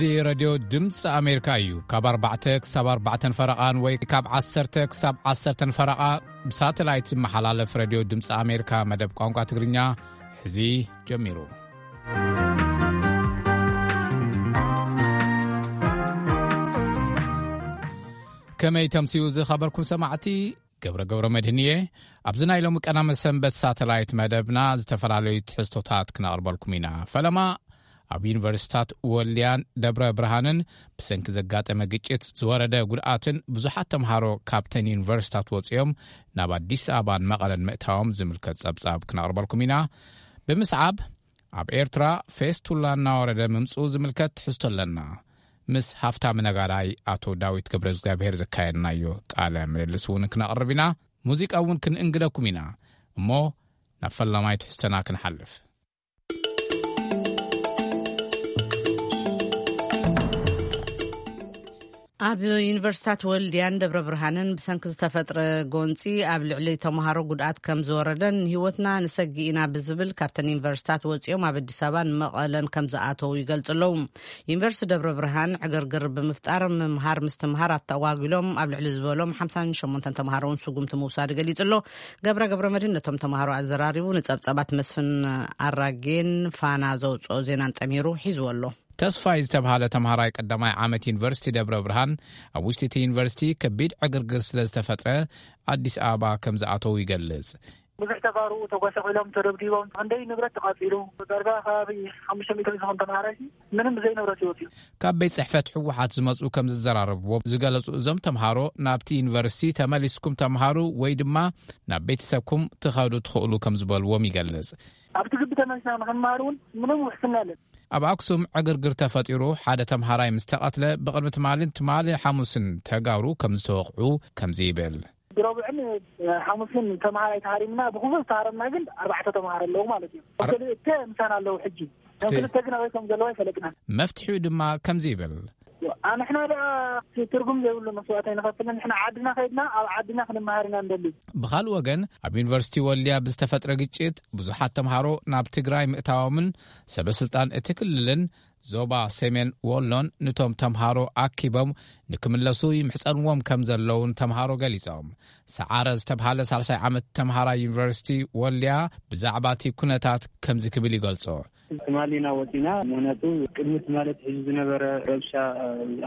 እዚ ሬድዮ ድምፂ ኣሜሪካ እዩ። ካብ ኣርባዕተ ክሳብ ኣርባዕተን ፈረቓን ወይ ካብ ዓሰርተ ክሳብ ዓሰርተን ፈረቓ ብሳተላይት ዝመሓላለፍ ሬድዮ ድምፂ ኣሜሪካ መደብ ቋንቋ ትግርኛ ሕዚ ጀሚሩ። ከመይ ተምስዩ ዝኸበርኩም ሰማዕቲ? ገብረ ገብረ መድህን እየ። ኣብዚ ናይ ሎሚ ቀዳመ ሰንበት ሳተላይት መደብና ዝተፈላለዩ ትሕዝቶታት ክነቕርበልኩም ኢና። ፈለማ ኣብ ዩኒቨርሲታት ወልድያን ደብረ ብርሃንን ብሰንኪ ዘጋጠመ ግጭት ዝወረደ ጉድኣትን ብዙሓት ተምሃሮ ካብተን ዩኒቨርሲታት ወፂኦም ናብ ኣዲስ ኣበባን መቐለን ምእታዎም ዝምልከት ጸብጻብ ክነቕርበልኩም ኢና። ብምስዓብ ኣብ ኤርትራ ፌስቱላ እናወረደ ምምፅኡ ዝምልከት ትሕዝቶ ኣለና። ምስ ሃፍታም ነጋዳይ ኣቶ ዳዊት ገብረ እግዚኣብሔር ዘካየድናዮ ቃለ ምልልስ እውን ክነቕርብ ኢና። ሙዚቃ እውን ክንእንግደኩም ኢና። እሞ ናብ ፈላማይ ትሕዝቶና ክንሓልፍ። ኣብ ዩኒቨርሲታት ወልድያን ደብረ ብርሃንን ብሰንኪ ዝተፈጥረ ጎንፂ ኣብ ልዕሊ ተምሃሮ ጉድኣት ከም ዝወረደን ንህይወትና ንሰጊ ኢና ብዝብል ካብተን ዩኒቨርሲታት ወፂኦም ኣብ ኣዲስ ኣበባን መቐለን ከም ዝኣተዉ ይገልፁ ኣለዉ። ዩኒቨርሲቲ ደብረ ብርሃን ዕግርግር ብምፍጣር ምምሃር ምስትምሃር ኣተጓጒሎም ኣብ ልዕሊ ዝበሎም ሓምሳን ሸሞንተን ተምሃሮ እውን ስጉምቲ ምውሳዱ ገሊፁ ኣሎ። ገብረ ገብረ መድህን ነቶም ተምሃሮ ኣዘራሪቡ ንፀብፀባት መስፍን ኣራጌን ፋና ዘውፅኦ ዜናን ጠሚሩ ሒዝዎ ኣሎ። ተስፋይ ዝተብሃለ ተምሃራይ ቀዳማይ ዓመት ዩኒቨርሲቲ ደብረ ብርሃን ኣብ ውሽጢ እቲ ዩኒቨርሲቲ ከቢድ ዕግርግር ስለ ዝተፈጥረ ኣዲስ ኣበባ ከም ዝኣተዉ ይገልጽ። ብዙሕ ተጋሩ ተጓሳቒሎም ተደብዲቦም ክንደይ ንብረት ተቓጺሉ ዳርጋ ከባቢ ሓሙሽተ ሚእቲ ዝኸውን ተምሃራይ ምንም ብዘይ ንብረት ይወፅዩ። ካብ ቤት ጽሕፈት ህወሓት ዝመጹ ከም ዝዘራረብዎ ዝገለጹ እዞም ተምሃሮ ናብቲ ዩኒቨርሲቲ ተመሊስኩም ተምሃሩ ወይ ድማ ናብ ቤተሰብኩም ትኸዱ ትኽእሉ ከም ዝበልዎም ይገልጽ። ኣብቲ ግቢ ተመሊስና ንኽንመሃር እውን ምንም ውሕስና የለን። ኣብ ኣክሱም ዕግርግር ተፈጢሩ ሓደ ተምሃራይ ምስ ተቐትለ ብቕድሚ ትማልን ትማሊ ሓሙስን ተጋሩ ከም ዝተወቕዑ ከምዚ ይብል። ብረቡዕን ሓሙስን ተምሃራይ ተሃሪምና ብኩሉ ዝተሃረምና ግን ኣርባዕተ ተምሃሮ ኣለዉ ማለት እዩ። ክልተ ምሳና ኣለዉ ሕጂ። ክልተ ግን ኣበይ ከም ዘለዉ ኣይፈለጥናን። መፍትሒኡ ድማ ከምዚ ይብል። ኣንሕና ደኣ ትርጉም ዘይብሉ መስዋእቲ ኣይንኸፍልን። ንሕና ዓድና ከይድና ኣብ ዓድና ክንመሃር ኢና ንደሊ። ብኻልእ ወገን ኣብ ዩኒቨርሲቲ ወልድያ ብዝተፈጥረ ግጭት ብዙሓት ተምሃሮ ናብ ትግራይ ምእታዎምን ሰበስልጣን እቲ ክልልን ዞባ ሰሜን ወሎን ንቶም ተምሃሮ ኣኪቦም ንክምለሱ ይምሕጸንዎም ከም ዘለውን ተምሃሮ ገሊጾም። ሰዓረ ዝተብሃለ ሳልሳይ ዓመት ተምሃራይ ዩኒቨርሲቲ ወልድያ ብዛዕባ እቲ ኩነታት ከምዚ ክብል ይገልጾ። ትማሊ ኢና ወፂና። ምክንያቱ ቅድሚ ትማሊ ኣትሒዙ ዝነበረ ረብሻ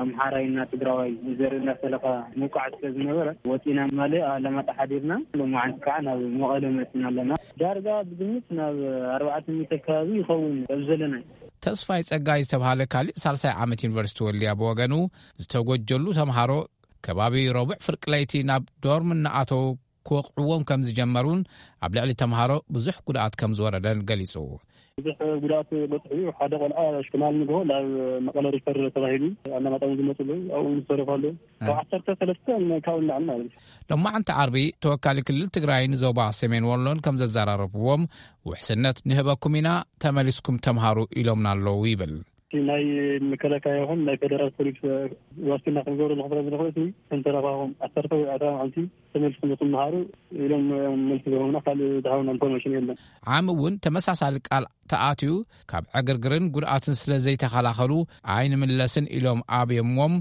ኣምሓራይና ትግራዋይ ዘርኢ እናፈለኻ ምውቃዕ ስለ ዝነበረ ወፂና ትማሊ ኣላማጣ ሓዲርና። ሎማዓንቲ ከዓ ናብ መቐለ መፅና ኣለና። ዳርጋ ብግምት ናብ ኣርባዕተ ሚእቲ ከባቢ ይኸውን ኣብ ዘለና። ተስፋይ ጸጋይ ዝተብሃለ ካልእ ሳልሳይ ዓመት ዩኒቨርሲቲ ወልድያ ብወገኑ ዝተጎጀሉ ተምሃሮ ከባቢ ረቡዕ ፍርቂ ለይቲ ናብ ዶርም እናኣተዉ ክወቕዕዎም ከም ዝጀመሩን ኣብ ልዕሊ ተምሃሮ ብዙሕ ጉድኣት ከም ዝወረደን ገሊጹ። ብዙሕ ጉድኣት በፅሑ ሓደ ቆልዓ ሽማል ንግሆ ናብ መቐለ ሪፈር ተባሂሉ ኣላማጣ እውን ዝመፅሉ ኣብኡ ዝተረፉ ኣለዉ። ካብ ዓሰርተ ሰለስተ ካብኡ ንላዕሊ ማለት እዩ። ሎማዓንቲ ዓርቢ ተወካሊ ክልል ትግራይ ንዞባ ሰሜን ወሎን ከም ዘዘራረብዎም ውሕስነት ንህበኩም ኢና ተመሊስኩም ተምሃሩ ኢሎምና ኣለዉ ይብል። ናይ መከላከያ ይኹን ናይ ፌደራል ፖሊስ ዋስትና ክንገብሩ ንኽፍረ ዝንኽእል ሲ እንተረፋኹም ዓሰርተ ወይ ኣርባ መዓልቲ ተመልስኩም ትምሃሩ ኢሎም መልሲ ዝህቡና ካልእ ዝሃቡና ኢንፎርሜሽን የለን። ዓሚ እውን ተመሳሳሊ ቃል ተኣትዩ ካብ ዕግርግርን ጉድኣትን ስለ ዘይተኸላኸሉ ኣይንምለስን ኢሎም ኣብዮምዎም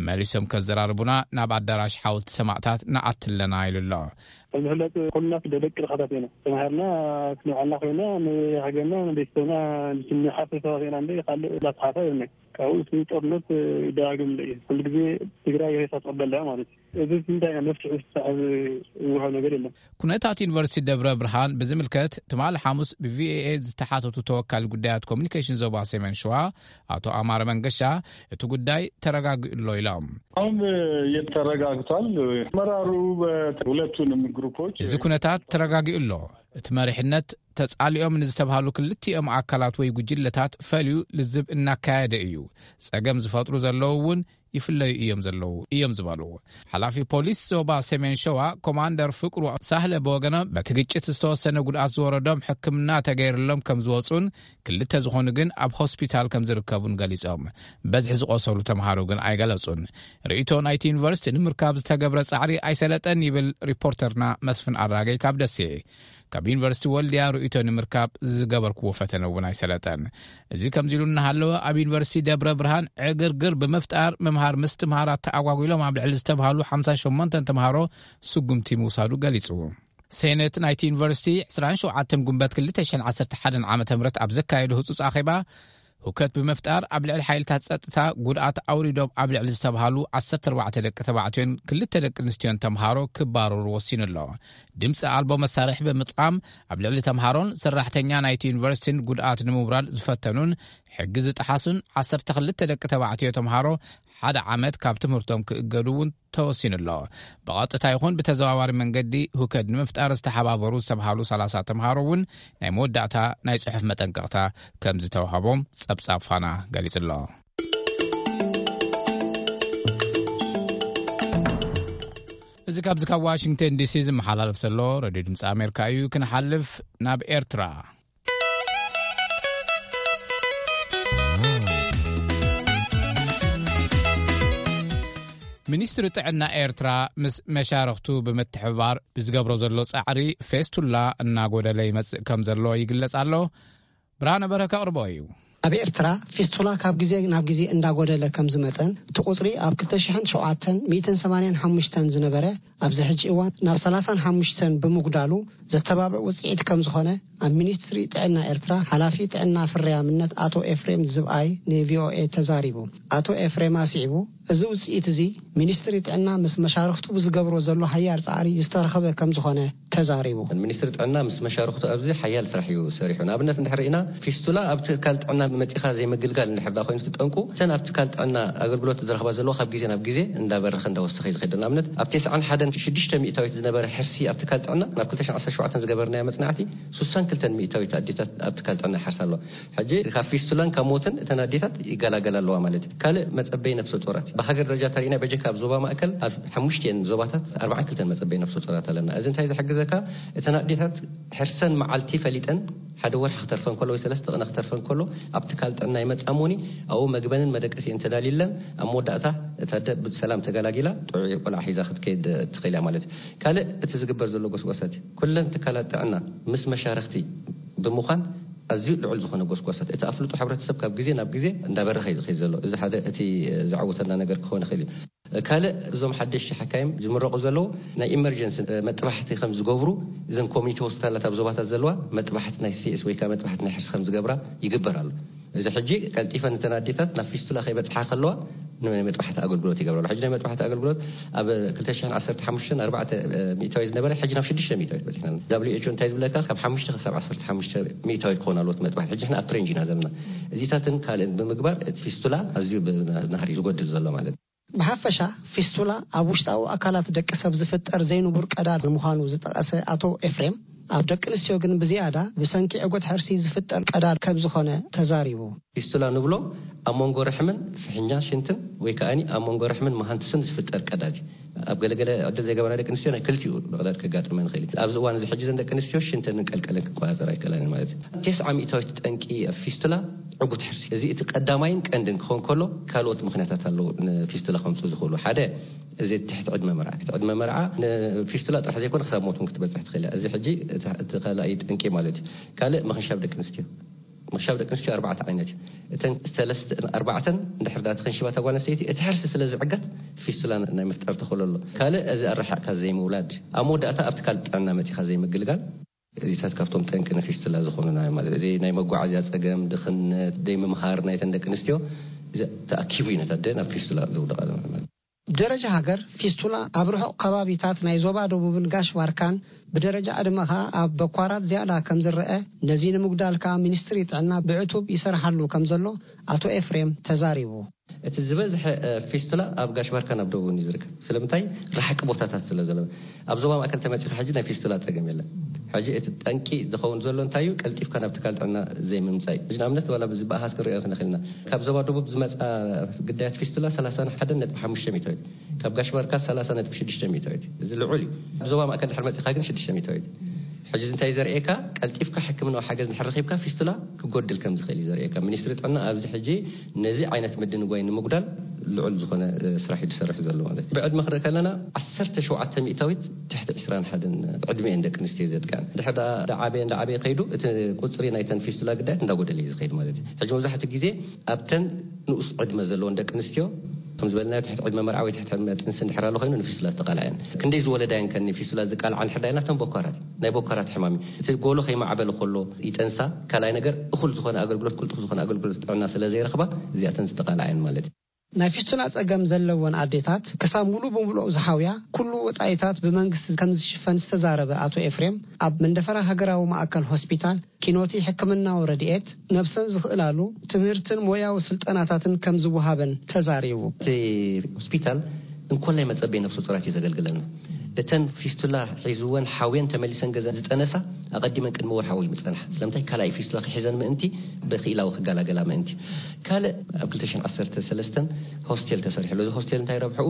መሊሶም ከዘራርቡና ናብ ኣዳራሽ ሓወልቲ ሰማእታት ንኣትለና ኢሉ ኣሎ። ከም ዝፍለጥ ኩልና ደቂ ድኻታት ኢና። ተማሂርና ክንብዓልና ኮይና ንሃገርና ንቤተሰብና ንሓፍር ሰባት ኢና እንደ ካልእ ላስሓፋ የብልናይ። ካብኡ እቲ ጦርነት ይደጋግም እንደ እዩ። ኩሉ ግዜ ትግራይ ሬሳ ትቕበል እያ ማለት እዩ። እዚ እንታይ መፍትሒ ዝወሃብ ነገር የለን። ኩነታት ዩኒቨርሲቲ ደብረ ብርሃን ብዝምልከት ትማሊ ሓሙስ ብቪኦኤ ዝተሓተቱ ተወካሊ ጉዳያት ኮሚኒኬሽን ዞባ ሰሜን ሸዋ ኣቶ ኣማረ መንገሻ እቲ ጉዳይ ተረጋጊኡ ኣሎ ኢሎም። አሁን ተረጋግቷል። አመራሩ በሁለቱንም ግሩፖች እዚ ኩነታት ተረጋጊኡ ኣሎ። እቲ መሪሕነት ተጻሊኦም ንዝተባሃሉ ክልቲኦም ኣካላት ወይ ጉጅለታት ፈልዩ ልዝብ እናካየደ እዩ። ጸገም ዝፈጥሩ ዘለዉ እውን ይፍለዩ እዮም ዘለዉ እዮም ዝበሉ ሓላፊ ፖሊስ ዞባ ሰሜን ሸዋ ኮማንደር ፍቅሩ ሳህለ ብወገኖም በቲ ግጭት ዝተወሰነ ጉድኣት ዝወረዶም ሕክምና ተገይርሎም ከም ዝወፁን ክልተ ዝኾኑ ግን ኣብ ሆስፒታል ከም ዝርከቡን ገሊጾም። በዝሒ ዝቆሰሉ ተምሃሮ ግን ኣይገለጹን። ርእይቶ ናይቲ ዩኒቨርሲቲ ንምርካብ ዝተገብረ ጻዕሪ ኣይሰለጠን ይብል ሪፖርተርና መስፍን ኣራገይ ካብ ደሴ። ካብ ዩኒቨርሲቲ ወልድያ ርእይቶ ንምርካብ ዝገበርክዎ ፈተነ እውን ኣይሰለጠን። እዚ ከምዚ ኢሉ እናሃለወ፣ ኣብ ዩኒቨርሲቲ ደብረ ብርሃን ዕግርግር ብምፍጣር ምምሃር ምስትምሃር ኣተኣጓጒሎም ኣብ ልዕሊ ዝተብሃሉ ሓምሳ ሸሞንተ ተምሃሮ ስጉምቲ ምውሳዱ ገሊጹ። ሴኔት ናይቲ ዩኒቨርሲቲ ዕስራን ሸውዓተን ጉንበት ክልተ ሽሕን ዓሰርተ ሓደን ዓመተ ምህረት ኣብ ዘካየዶ ህጹጽ ኣኼባ፣ ሁከት ብምፍጣር ኣብ ልዕሊ ሓይልታት ጸጥታ ጉድኣት ኣውሪዶም ኣብ ልዕሊ ዝተብሃሉ ዓሰርተ ኣርባዕተ ደቂ ተባዕትዮን ክልተ ደቂ ኣንስትዮን ተምሃሮ ክባረሩ ወሲኑ ኣሎ። ድምፂ ኣልቦ መሳርሒ ብምጥቃም ኣብ ልዕሊ ተምሃሮን ሰራሕተኛ ናይቲ ዩኒቨርሲቲን ጉድኣት ንምውራድ ዝፈተኑን ሕጊ ዝጠሓሱን ዓሰርተ ክልተ ደቂ ተባዕትዮ ተምሃሮ ሓደ ዓመት ካብ ትምህርቶም ክእገዱ እውን ተወሲኑ ኣሎ። ብቐጥታ ይኹን ብተዘዋዋሪ መንገዲ ሁከት ንምፍጣር ዝተሓባበሩ ዝተብሃሉ ሰላሳ ተምሃሮ እውን ናይ መወዳእታ ናይ ጽሑፍ መጠንቀቕታ ከም ዝተዋህቦም ጸብጻብ ፋና ገሊጹ ኣሎ። እዚ ካብዚ ካብ ዋሽንግተን ዲሲ ዝመሓላለፍ ዘሎ ሬድዮ ድምፂ ኣሜሪካ እዩ። ክንሓልፍ ናብ ኤርትራ። ሚኒስትሪ ጥዕና ኤርትራ ምስ መሻርኽቱ ብምትሕብባር ብዝገብሮ ዘሎ ጻዕሪ ፌስቱላ እናጎደለ ይመጽእ ከም ዘሎ ይግለጽ ኣሎ። ብርሃነ በረከ ኣቕርቦ እዩ። ኣብ ኤርትራ ፊስቱላ ካብ ግዜ ናብ ግዜ እንዳጎደለ ከም ዝመጸን እቲ ቁጽሪ ኣብ ክልተ ሽሕን ሸውዓተን ሚእትን ሰማንያን ሓሙሽተን ዝነበረ ኣብዚ ሕጂ እዋን ናብ ሰላሳን ሓሙሽተን ብምጉዳሉ ዘተባብዕ ውጽኢት ከም ዝኾነ ኣብ ሚኒስትሪ ጥዕና ኤርትራ ሓላፊ ጥዕና ፍርያምነት ኣቶ ኤፍሬም ዝብኣይ ንቪኦኤ ተዛሪቡ። ኣቶ ኤፍሬም ኣስዒቡ፣ እዚ ውጽኢት እዚ ሚኒስትሪ ጥዕና ምስ መሻርኽቱ ብዝገብሮ ዘሎ ሓያል ጻዕሪ ዝተረኸበ ከም ዝኾነ ተዛሪቡ። ሚኒስትሪ ጥዕና ምስ መሻርኽቱ ኣብዚ ሓያል ስራሕ እዩ ሰሪሑ። ንኣብነት እንድሕር ርኢና ፊስቱላ ኣብ ትካል ጥዕና መጺኻ ዘይምግልጋል እንድሕር ደኣ ኮይኑ እቲ ጠንቁ እተን ኣብ ትካል ጥዕና ኣገልግሎት ዝረኽባ ዘለዋ ካብ ግዜ ናብ ግዜ እንዳበረኸ እንዳወሰኸ እዩ ዝኸይድ። ንኣብነት ኣብ ተስዓን ሓደን ሽዱሽተ ሚእታዊት ዝነበረ ሕርሲ ኣብ ትካል ጥዕና ናብ ክልተ ሽሕን ዓሰርተ ሸውዓተን ዝገበርናዮ መጽናዕቲ ሱሳን ክልተን ሚእታዊት ኣዴታት ኣብ ትካል ጥዕና ይሓርሳ ኣለዋ። ሕጂ ካብ ፊስቱላን ካብ ሞትን እተን ኣዴታት ይገላገላ ኣለዋ ማለት እዩ። ካልእ መጸበይ ነፍሰ ጡራት ብሃገር ደረጃ ተሪእና በጀካ ኣብ ዞባ ማእከል ኣብ ሓሙሽቲኤን ዞባታት ኣርባዓን ክልተን መጸበይ ነፍሰ ጡራት ኣለና። እዚ እንታይ ዝሕግዘካ? እተን ኣዴታት ሕርሰን መዓልቲ ፈሊጠን ሓደ ወርሒ ክተርፈን ከሎ ወይ ሰለስተ ቅነ ክተርፈን ከሎ ኣብ ትካል ጥዕና ይመጻ እሞኒ ኣብኡ መግበንን መደቀሲን ተዳልዩለን ኣብ መወዳእታ እታ ኣደ ብሰላም ተገላጊላ ጥዑይ ቆልዓ ሒዛ ክትከይድ ትኽእል እያ ማለት እዩ። ካልእ እቲ ዝግበር ዘሎ ጎስጓሳት እዩ። ኩለን ትካላት ጥዕና ምስ መሻርኽቲ ብምዃን ኣዝዩ ልዑል ዝኾነ ጎስጓሳት እቲ ኣፍልጦ ሕብረተሰብ ካብ ግዜ ናብ ግዜ እንዳበረኸ እዩ ዝኸይድ ዘሎ። እዚ ሓደ እቲ ዘዓወተና ነገር ክኸውን ይኽእል እዩ። ካልእ እዞም ሓደሽቲ ሓካይም ዝምረቑ ዘለዉ ናይ ኢመርጀንሲ መጥባሕቲ ከም ዝገብሩ እዘን ኮሚኒቲ ሆስፒታላት ኣብ ዞባታት ዘለዋ መጥባሕቲ ናይ ሲኤስ ወይ ከዓ መጥባሕቲ ናይ ሕርሲ ከም ዝገብራ ይግበር ኣሎ። እዚ ሕጂ ቀልጢፈን እተን ኣዴታት ናብ ፊስቱላ ከይበፅሓ ከለዋ ናይ መጥባሕቲ ኣገልግሎት ይገብራሉ። ሕጂ ናይ መጥባሕቲ ኣገልግሎት ኣብ ክልተ ሽሕን ዓሰርተ ሓሙሽተን ኣርባዕተ ሚእታዊት ዝነበረ ሕጂ ናብ ሽዱሽተ ሚእታዊት በፂሕና። ደብሊው ኤች ኦ እንታይ ዝብለካ ካብ ሓሙሽተ ክሳብ ዓሰርተ ሓሙሽተ ሚእታዊት ክኾን ኣለዎ እቲ መጥባሕቲ። ሕጂ ንሕና ኣብ ትሬንጅ ኢና ዘለና። እዚታትን ካልእን ብምግባር እቲ ፊስቱላ ኣዝዩ ብናህሪ እዩ ዝጎድል ዘሎ ማለት እዩ። ብሓፈሻ ፊስቱላ ኣብ ውሽጣዊ ኣካላት ደቂ ሰብ ዝፍጠር ዘይንቡር ቀዳድ ንምዃኑ ዝጠቐሰ ኣቶ ኤፍሬም፣ ኣብ ደቂ ኣንስትዮ ግን ብዝያዳ ብሰንኪ ዕጉት ሕርሲ ዝፍጠር ቀዳድ ከም ዝኾነ ተዛሪቡ። ፊስቱላ ንብሎ ኣብ መንጎ ርሕምን ፍሕኛ ሽንትን ወይ ከኣኒ ኣብ መንጎ ርሕምን መሃንቱስን ዝፍጠር ቀዳድ እዩ። ኣብ ገለገለ ዕድል ዘይገበራ ደቂ ኣንስትዮ ናይ ክልቲኡ ብቐዳድ ከጋጥመን ይኽእል እዩ። ኣብዚ እዋን እዚ ሕጂ ዘን ደቂ ኣንስትዮ ሽንተንን ቀልቀለን ክቆጻጸራ ኣይከላን ማለት እዩ። ተስዓ ሚእታዊት ጠንቂ ፊስቱላ ዕጉት ሕርሲ። እዚ እቲ ቀዳማይን ቀንድን ክኸውን ከሎ ካልኦት ምኽንያታት ኣለዉ ንፊስቱላ ከምፁ ዝኽእሉ። ሓደ እዚ ትሕቲ ዕድመ መርዓ። ትሕቲ ዕድመ መርዓ ንፊስቱላ ጥራሕ ዘይኮነ ክሳብ ሞት እውን ክትበፅሕ ትኽእል እያ። እዚ ሕጂ እቲ እቲ ካልኣይ ጠንቂ ማለት እዩ። ካልእ ምኽንሻብ ደቂ ኣንስትዮ። ምኽንሻብ ደቂ ኣንስትዮ ኣርባዕተ ዓይነት እዩ። እተን ሰለስተ ኣርባዕተን እንድሕር ዳ ተኸንሽባ እታ ጓል ኣንስተይቲ እቲ ሕርሲ ስለ ዝዕገት ፊስቱላ ናይ ምፍጣር ተኽእሎ ኣሎ። ካልእ እዚ ኣረሓቕካ ዘይምውላድ። ኣብ መወዳእታ ኣብ ትካል ጥዕና መፂኻ ዘይምግልጋል። እዚታት ካብቶም ጠንቂ ንፊስቱላ ዝኾኑና ማለት እዚ ናይ መጓዓዝያ ፀገም፣ ድኽነት፣ ደይ ምምሃር ናይተን ደቂ ኣንስትዮ እዚ ተኣኪቡ እዩ ነታ ኣደ ናብ ፊስቱላ ዘውድቓ ማለት። ብደረጃ ሃገር ፊስቱላ ኣብ ርሑቕ ከባቢታት ናይ ዞባ ደቡብን ጋሽ ባርካን ብደረጃ ዕድመ ከኣ ኣብ በኳራት ዝያዳ ከም ዝረአ፣ ነዚ ንምጉዳል ከኣ ሚኒስትሪ ጥዕና ብዕቱብ ይሰርሓሉ ከም ዘሎ ኣቶ ኤፍሬም ተዛሪቡ። እቲ ዝበዝሐ እ፣ ፊስቱላ ኣብ ጋሽ ባርካን ኣብ ደቡብን እዩ ዝርከብ። ስለምንታይ? ራሕቂ ቦታታት ስለ ዘሎ። ኣብ ዞባ ማእከል ተመጺኻ ሕጂ ናይ ፊስቱላ ጸገም የለን። ሕጂ እቲ ጠንቂ ዝኸውን ዘሎ እንታይ እዩ? ቀልጢፍካ ናብ ትካል ጥዕና ዘይምምጻእ እዩ። ሕጂ ንኣብነት ዋላ ብዝበኣኻስ ክንሪኦ ክንኽእል ኢና። ካብ ዞባ ደቡብ ዝመጻ ግዳያት ፊስቱላ ሰላሳን ሓደን ነጥቢ ሓሙሽተ ሚእታዊት፣ ካብ ጋሽ ባርካ ሰላሳ ነጥቢ ሽዱሽተ ሚእታዊት። እዚ ልዑል እዩ። ኣብ ዞባ ማእከል ድሕሪ መጺኻ ግን ሽዱሽተ ሚእታዊት። ሕጂ እዚ እንታይ ዘርእየካ? ቀልጢፍካ ሕክምናዊ ሓገዝ እንድሕር ረኺብካ ፊስቱላ ክጎድል ከም ዝኽእል እዩ ዘርእየካ። ሚኒስትሪ ጥዕና ኣብዚ ሕጂ ነዚ ዓይነት ምድንጓይ ንምጉዳል ልዑል ዝኾነ ስራሕ እዩ ዝሰርሕ ዘሎ ማለት እዩ። ብዕድመ ክንርኢ ከለና ዓሰርተ ሸውዓተ ሚእታዊት ትሕቲ ዕስራን ሓደን ዕድመ እየን ደቂ ኣንስትዮ ዘጥቅዐን። ድሕር ደኣ እንዳዓበየ እንዳዓበየ ከይዱ እቲ ቁፅሪ ናይተን ፊስቱላ ግዳያት እንዳጎደለ እዩ ዝኸይድ ማለት እዩ። ሕጂ መብዛሕትኡ ግዜ ኣብተን ንኡስ ዕድመ ዘለወን ደቂ ኣንስትዮ ከም ዝበልናዮ ትሕቲ ዕድመ መርዓ ወይ ትሕቲ ዕድመ ጥንሲ እንድሕር ኣሎ ኮይኑ ንፊስቱላ ዝተቃልዐን ክንደይ ዝወለዳ እየን ከኒ ፊስቱላ ዝቃልዓ እንድሕር ዳይና ተን ቦካራት ናይ ቦካራት ሕማም እዩ። እቲ ጎሎ ከይማዕበለ ከሎ ይጠንሳ። ካልኣይ ነገር እኹል ዝኾነ ኣገልግሎት ቅልጡፍ ዝኾነ ኣገልግሎት ጥዕና ስለ ዘይረኽባ እዚኣተን ዝተቃልዓ እየን ማለት እዩ። ናይ ፊስቱላ ጸገም ዘለወን ኣዴታት ክሳብ ሙሉ ብምሉእ ዝሓውያ ኩሉ ወጻኢታት ብመንግስቲ ከም ዝሽፈን ዝተዛረበ ኣቶ ኤፍሬም ኣብ መንደፈራ ሃገራዊ ማእከል ሆስፒታል ኪኖቲ ሕክምናዊ ረድኤት ነብሰን ዝኽእላሉ ትምህርትን ሞያዊ ስልጠናታትን ከም ዝወሃበን ተዛሪቡ። እቲ ሆስፒታል እንኮላይ መጸበይ ነፍሰ ጡራት እዩ ዘገልግለና። እተን ፊስቱላ ሒዝወን ሓውየን ተመሊሰን ገዛ ዝጠነሳ ኣቐዲመን ቅድሚ ወርሓዊ ይምጸንሓ። ስለምንታይ ካልኣይ ፊስቱላ ክሒዘን ምእንቲ ብክኢላዊ ክገላገላ ምእንቲ። ካልእ ኣብ ክልተ ሽሕን ዓሰርተ ሰለስተን ሆስቴል ተሰሪሕሉ። እዚ ሆስቴል እንታይ ረብሕኡ?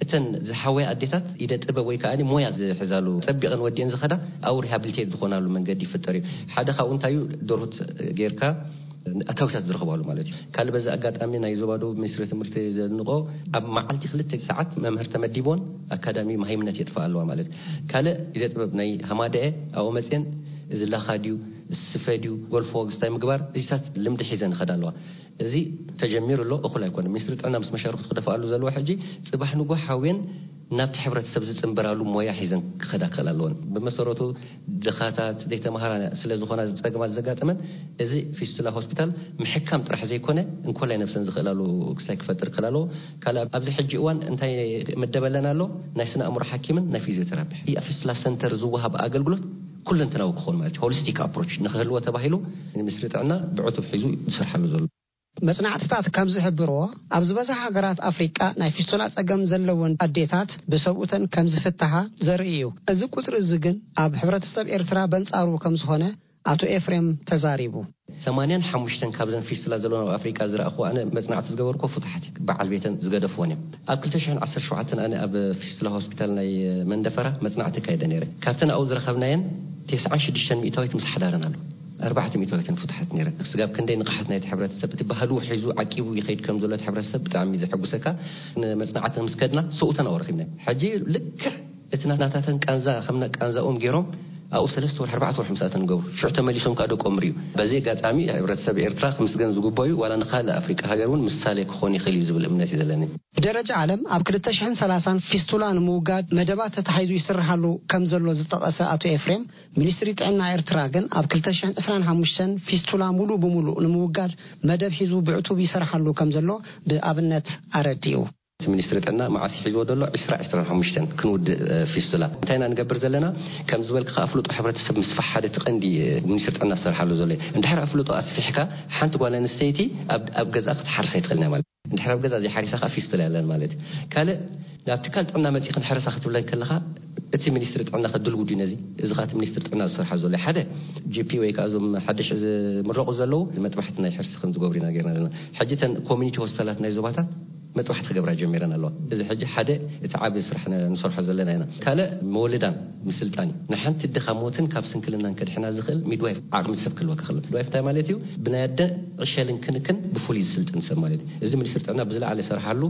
እተን ዝሓወያ ኣዴታት ኢደ ጥበብ ወይ ከዓ ሞያ ዝሕዛሉ ጸቢቐን ወዲአን ዝኸዳ ኣብኡ ሪሃብሊቴት ዝኾናሉ መንገዲ ይፍጠር እዩ። ሓደ ካብኡ እንታይ እዩ? ደርሁት ጌርካ ኣታዊታት ዝረኽባሉ ማለት እዩ። ካልእ በዚ ኣጋጣሚ ናይ ዞባ ደቡብ ሚኒስትሪ ትምህርቲ ዘድንቆ ኣብ መዓልቲ ክልተ ሰዓት መምህር ተመዲቦን ኣካዳሚ መሃይምነት የጥፋ ኣለዋ ማለት እዩ። ካልእ ኢደ ጥበብ ናይ ሃማደኤ ኣብኡ መፅየን እዚ ላኻ ድዩ ስፈ ድዩ ጎልፎ ግስታይ ምግባር እዚታት ልምዲ ሒዘን ይኸዳ ኣለዋ። እዚ ተጀሚሩ ኣሎ፣ እኹል ኣይኮነ። ሚኒስትሪ ጥዕና ምስ መሻርክቱ ክደፍኣሉ ዘለዎ ሕጂ ጽባሕ ንጎ ሓውየን ናብቲ ሕብረተሰብ ዝጽንበራሉ ሞያ ሒዘን ክኸዳ ክኽእል ኣለወን። ብመሰረቱ ድኻታት ዘይተማሃራ ስለ ዝኾና ጸገማት ዘጋጠመን እዚ ፊስቱላ ሆስፒታል ምሕካም ጥራሕ ዘይኮነ እንኮላይ ነብሰን ዝኽእላሉ ክስታይ ክፈጥር ክኽእል ኣለዎ። ካልእ ኣብዚ ሕጂ እዋን እንታይ መደበለን ኣሎ? ናይ ስነ ኣእምሮ ሓኪምን ናይ ፊዚዮቴራፒ ኣብ ፊስቱላ ሰንተር ዝወሃብ ኣገልግሎት ኩለንተናዊ ክኾን ማለት እዩ። ሆሊስቲክ ኣፕሮች ንክህልዎ ተባሂሉ ሚኒስትሪ ጥዕና ብዕቱብ ሒዙ ዝሰርሓሉ ዘሎ። መጽናዕትታት ከም ዝሕብርዎ ኣብ ዝበዝሓ ሃገራት ኣፍሪቃ ናይ ፊስቱላ ጸገም ዘለወን ኣዴታት ብሰብኡተን ከም ዝፍትሓ ዘርኢ እዩ። እዚ ቁጽሪ እዚ ግን ኣብ ሕብረተሰብ ኤርትራ በንጻሩ ከም ዝኾነ ኣቶ ኤፍሬም ተዛሪቡ። ሰማንያን ሓሙሽተን ካብዘን ፊስቱላ ዘለወን ኣብ ኣፍሪቃ ዝረኣኹ ኣነ መጽናዕቲ ዝገበርኩ ፍቱሓት እዩ። በዓል ቤተን ዝገደፍዎን እዮም። ኣብ ክልተ ሽሕን ዓሰርተ ሸውዓተን ኣነ ኣብ ፊስቱላ ሆስፒታል ናይ መንደፈራ መጽናዕቲ ካይደ ነይረ። ካብተን ኣብኡ ዝረኸብናየን ተስዓን ሽዱሽተን ሚእታዊት ምስ ሓዳረን ኣሎ። ኣርባዕተ ሚእታዊትን ፍቱሓት ነይረን። ስጋብ ክንደይ ንቕሓት ናይቲ ሕብረተሰብ፣ እቲ ባህሉ ሒዙ ዓቂቡ ይኸይድ ከም ዘሎ እቲ ሕብረተሰብ ብጣዕሚ እዩ ዘሐጉሰካ። ንመጽናዕቲ ምስ ከድና ሰብኡተን ኣብኡ ረኺብናዮም። ሕጂ ልክዕ እቲ ናታተን ቃንዛ ከም ና-፣ ቃንዛኦም ገይሮም ኣብኡ ሰለስተ ወርሒ፣ ኣርባዕተ ወርሒ ምሳተን ገብሩ። ሽዑ ተመሊሶም ከኣ ደቆም ርእዩ። በዚ ኣጋጣሚ ሕብረተሰብ ኤርትራ ክምስገን ዝግበኦ እዩ። ዋላ ንኻልእ ኣፍሪቃ ሃገር እውን ምሳሌ ክኾን ይኽእል እዩ ዝብል እምነት እዩ ዘለኒ። ብደረጃ ዓለም ኣብ ክልተ ሽሕን ሰላሳን ፊስቱላ ንምውጋድ መደባት ተታሒዙ ይስርሓሉ ከም ዘሎ ዝጠቐሰ ኣቶ ኤፍሬም፣ ሚኒስትሪ ጥዕና ኤርትራ ግን ኣብ ክልተ ሽሕን ዕስራን ሓሙሽተን ፊስቱላ ሙሉ ብሙሉ ንምውጋድ መደብ ሒዙ ብዕቱብ ይሰርሓሉ ከም ዘሎ ብኣብነት ኣረዲኡ። እቲ ሚኒስትሪ ጥዕና መዓስ ሒዝዎ ዘሎ? ዕስራ ዕስራን ሓሙሽተን ክንውድእ፣ እ፣ ፊስቱላ። እንታይ ኢና ንገብር ዘለና? ከም ዝበልክኻ ኣፍልጦ ሕብረተሰብ ምስፋሕ ሓደ እቲ ቀንዲ፣ እ፣ ሚኒስትሪ ጥዕና ዝሰርሓሉ ዘሎ እዩ። እንድሕር ኣፍልጦ ኣስፊሕካ ሓንቲ ጓል ኣንስተይቲ ኣብ፣ ኣብ ገዝኣ ክትሓርስ ኣይትኽእልን እያ ማለት። እንድሕር ኣብ ገዛ ዘይሓሪሳ ከዓ ፊስቱላ የለን ማለት እዩ። ካልእ ናብ ትካል ጥዕና መፂእኽን ሕረሳ ክትብለን ከለኻ እቲ ሚኒስትሪ ጥዕና ከድልው ድዩ ነዚ? እዚ ከዓ እቲ ሚኒስትሪ ጥዕና ዝሰርሓ ዘሎ እዩ። ሓደ ጂ ፒ ወይ ከዓ እዞም ሓድሽ ዝምረቑ ዘለዉ መጥባሕቲ ናይ ሕርሲ ከም ዝገብሩ ኢና ጌርና ዘለና። ሕጂ እተን ኮሚኒቲ ሆስፒታላት ናይ ዞባታት መጥባሕቲ ክገብራ ጀሚረን ኣለዋ። እዚ ሕጂ ሓደ እቲ ዓቢ ስራሕ ነ-፣ ንሰርሖ ዘለና ኢና። ካልእ መወልዳን ምስልጣን እዩ። ንሓንቲ ድኻ ሞትን ካብ ስንክልናን ከድሕና ዝኽእል ሚድዋይፍ ዓቕሚ ሰብ ክህልወካ ከሎ። ሚድዋይፍ እንታይ ማለት እዩ? ብናይ ኣደ ዕሸልን ክንክን ብፍሉይ ዝስልጥን ሰብ ማለት እዩ። እዚ ሚኒስትሪ ጥዕና ብዝለዓለ ይሰርሓሉ።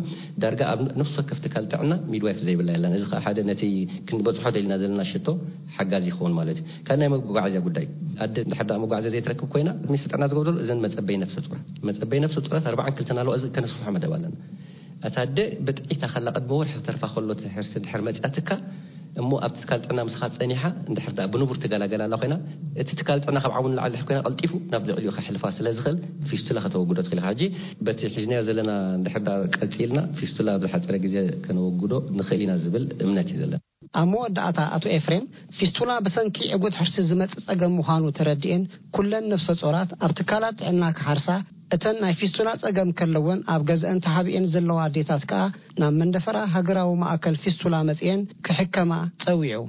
ዳርጋ ኣብ ነፍሲ ወከፍ ትካል ጥዕና ሚድዋይፍ ዘይብላ የላን። እዚ ከዓ ሓደ ነቲ ክንበጽሖ ደሊና ዘለና ሽቶ ሓጋዚ ይኸውን ማለት እዩ። ካብ ናይ መጓዓዝያ ጉዳይ፣ ኣደ እንድሕር ደኣ መጓዓዝያ ዘይትረክብ ኮይና፣ ሚኒስትሪ ጥዕና ዝገብረሉ እዘን መጸበይ ነፍሰ ጡራት፣ መጸበይ ነፍሰ ጡራት ኣርባዓን ክልተን ኣለዋ። እዚ ከነስፍሖ መደብ ኣለና። እታ ኣደ ብጥዒታ ከላ ቅድሚ ወርሒ ክተርፋ ከሎ እቲ ሕርሲ እንድሕር መጺኣትካ፣ እሞ ኣብቲ ትካል ጥዕና ምሳኻ ጸኒሓ፣ እንድሕር ደኣ ብንቡር ትገላገል ኣላ ኮይና፣ እቲ ትካል ጥዕና ካብ ዓቕሙ ንላዕሊ እንድሕር ኮይና፣ ቀልጢፉ ናብ ልዕሊኡ ከሕልፋ ስለ ዝኽእል፣ ፊስቱላ ከተወግዶ ትኽእል ኢኻ። ሕጂ በቲ ሒዝናዮ ዘለና እንድሕር ደኣ ቀጺልና፣ ፊስቱላ ኣብ ዝሓጸረ ግዜ ከነወግዶ ንኽእል ኢና ዝብል እምነት እዩ ዘለና። ኣብ መወዳእታ ኣቶ ኤፍሬም፣ ፊስቱላ ብሰንኪ ዕጉት ሕርሲ ዝመጽእ ጸገም ምዃኑ ተረዲኤን፣ ኩለን ነፍሰ ጾራት ኣብ ትካላት ጥዕና ክሓርሳ፣ እተን ናይ ፊስቱላ ጸገም ከለወን ኣብ ገዝአን ተሓቢኤን ዘለዋ ኣዴታት ከኣ ናብ መንደፈራ ሃገራዊ ማእከል ፊስቱላ መጺኤን ክሕከማ ጸዊዑ።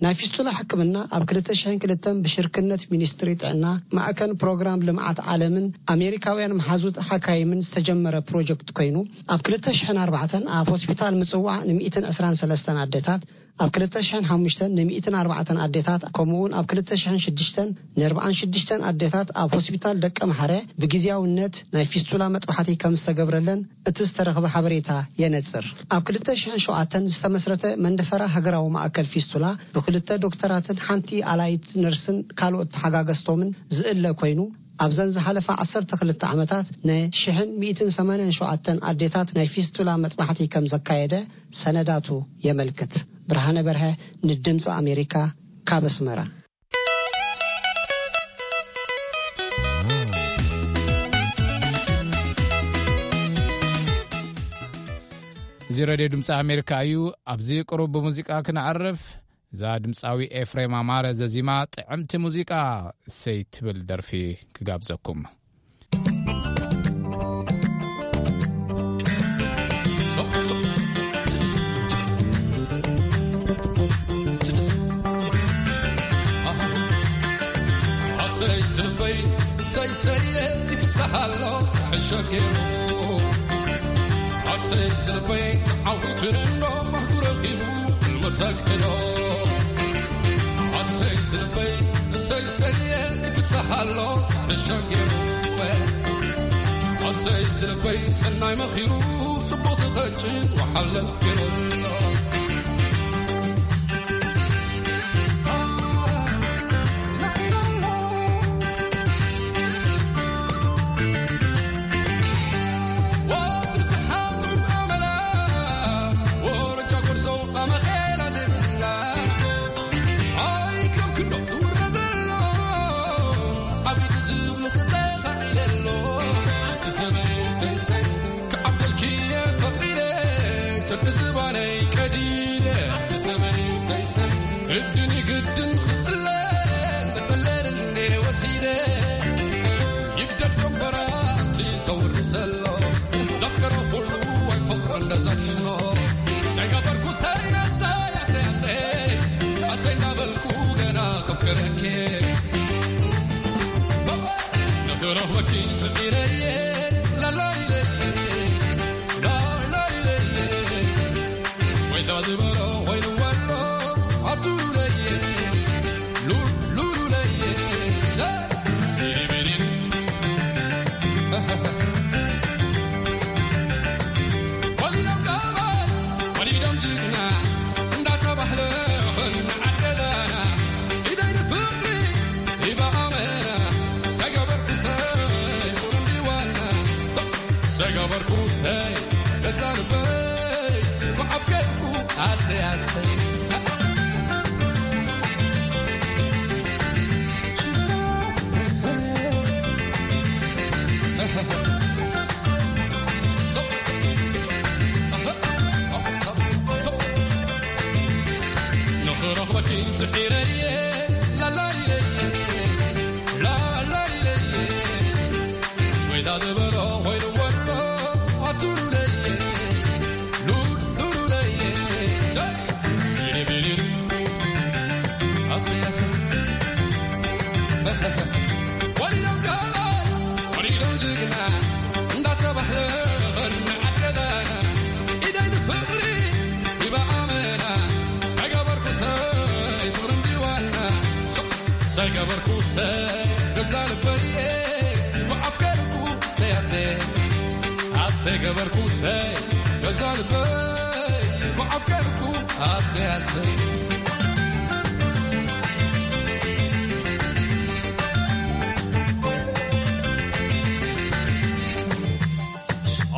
ናይ ፊስቱላ ሕክምና ኣብ ክልተ ሽሕን ክልተን ብሽርክነት ሚኒስትሪ ጥዕና ማእከል ፕሮግራም ልምዓት ዓለምን ኣሜሪካውያን መሓዙት ሓካይምን ዝተጀመረ ፕሮጀክት ኮይኑ፣ ኣብ ክልተ ሽሕን ኣርባዕተን ኣብ ሆስፒታል ምጽዋዕ ንሚእትን ዕስራን ሰለስተን ኣዴታት ኣብ ክልተ ሽሕን ሓሙሽተን ን ሚእትን ኣርባዕተን ኣዴታት፣ ከምኡውን ኣብ ክልተ ሽሕን ሽዱሽተን ን ኣርባዓን ሽዱሽተን ኣዴታት ኣብ ሆስፒታል ደቀ መሓረ ብግዝያውነት ናይ ፊስቱላ መጥባሕቲ ከም ዝተገብረለን እቲ ዝተረኽበ ሓበሬታ የነጽር። ኣብ ክልተ ሽሕን ሸውዓተን ዝተመስረተ መንደፈራ ሃገራዊ ማእከል ፊስቱላ ብክልተ ዶክተራትን ሓንቲ ኣላይት ነርስን ካልኦት ተሓጋገዝቶምን ዝእለ ኮይኑ፣ ኣብዘን ዝሓለፋ ዓሰርተ ክልተ ዓመታት ን ሽሕን ሚእትን ሰማንያን ሸውዓተን ኣዴታት ናይ ፊስቱላ መጥባሕቲ ከም ዘካየደ ሰነዳቱ የመልክት። ብርሃነ በርሀ ንድምፂ ኣሜሪካ ካብ ኣስመራ። እዚ ሬድዮ ድምፂ ኣሜሪካ እዩ። ኣብዚ ቅሩብ ብሙዚቃ ክነዕርፍ። እዛ ድምፃዊ ኤፍሬም ኣማረ ዘዚማ ጥዕምቲ ሙዚቃ እሰይ ትብል ደርፊ ክጋብዘኩም። ኣሰይ ዝልበይ ሰይሰየ ይፍስሓሎ ሕሸ ገይሩ። ኣሰይ ዝልበይ ተዓዊቱ እንዶ ባህጉ ረኺቡ ሕልሙ ተግህዶ። ኣሰይ ዝልበይ ሰይሰየ ይፍስሓሎ ሕሸ ገይሩ። ኣሰይ ዝልበይ ሰናይ መኺሩ ጽቡቕ ዝኸጭን ወሓለ ገይሩ። ግድን ይግድን ክጽለል መጸለል እንዴ ወሲደ ይብደድ ደንበራ እቲ ዘውሪ ዘሎ ዘፍቅሮ ኩሉ ኣይፈቅሮ እንደ ዘድሕኖ ዘይገበርኩ ሰይነሰ ያሰያሰ ኣሰይ እንዳበልኩ ገና ከፍቅረኬ ንኽረኽበኪ ጽዒረየ ላላይለየ ላላይለየ ወይ ተዝበሎ ወይ ንወሎ ኣቱለየ ሉሉሉለየ ቢሪቢሪን ወሊዶም ቀባይ ወሊዶም ጅግና እንዳተባህለ ኾና ዓደዳና ኢደይ ንፍቅሪ ሂባ ኣመና ሰገበርኩ ሰይ ቁርንዲ ዋና ሰገበርኩ ሰይ ገዛ ልበይ ኳዓፍ ገርኩ ኣሰይ ኣሰይ ንኽረኽበኪ ጽዒረየ ላላይለየ ላላይለየ ወይታ ዝበሎ ኮይኑ ወሎ ኣቱሉለየ ሉሉሉለየ ወሊዶም ጋላ ወሊዶም ጅግና እንዳተባህለ ኸነ ዓደዳና ኢደይ ንፍቕሪ ሂባ ኣመና ሰገበርኩ ሰይ ፍቕሪ እንዲዋና ሰገበርኩ ሰይ ገዛ ልበየ ብኣፍቀርኩ ሰያሰ ኣሰ ገበርኩ ሰይ ገዛ ልበይ ብኣፍቀርኩ ኣሰ ኣሰ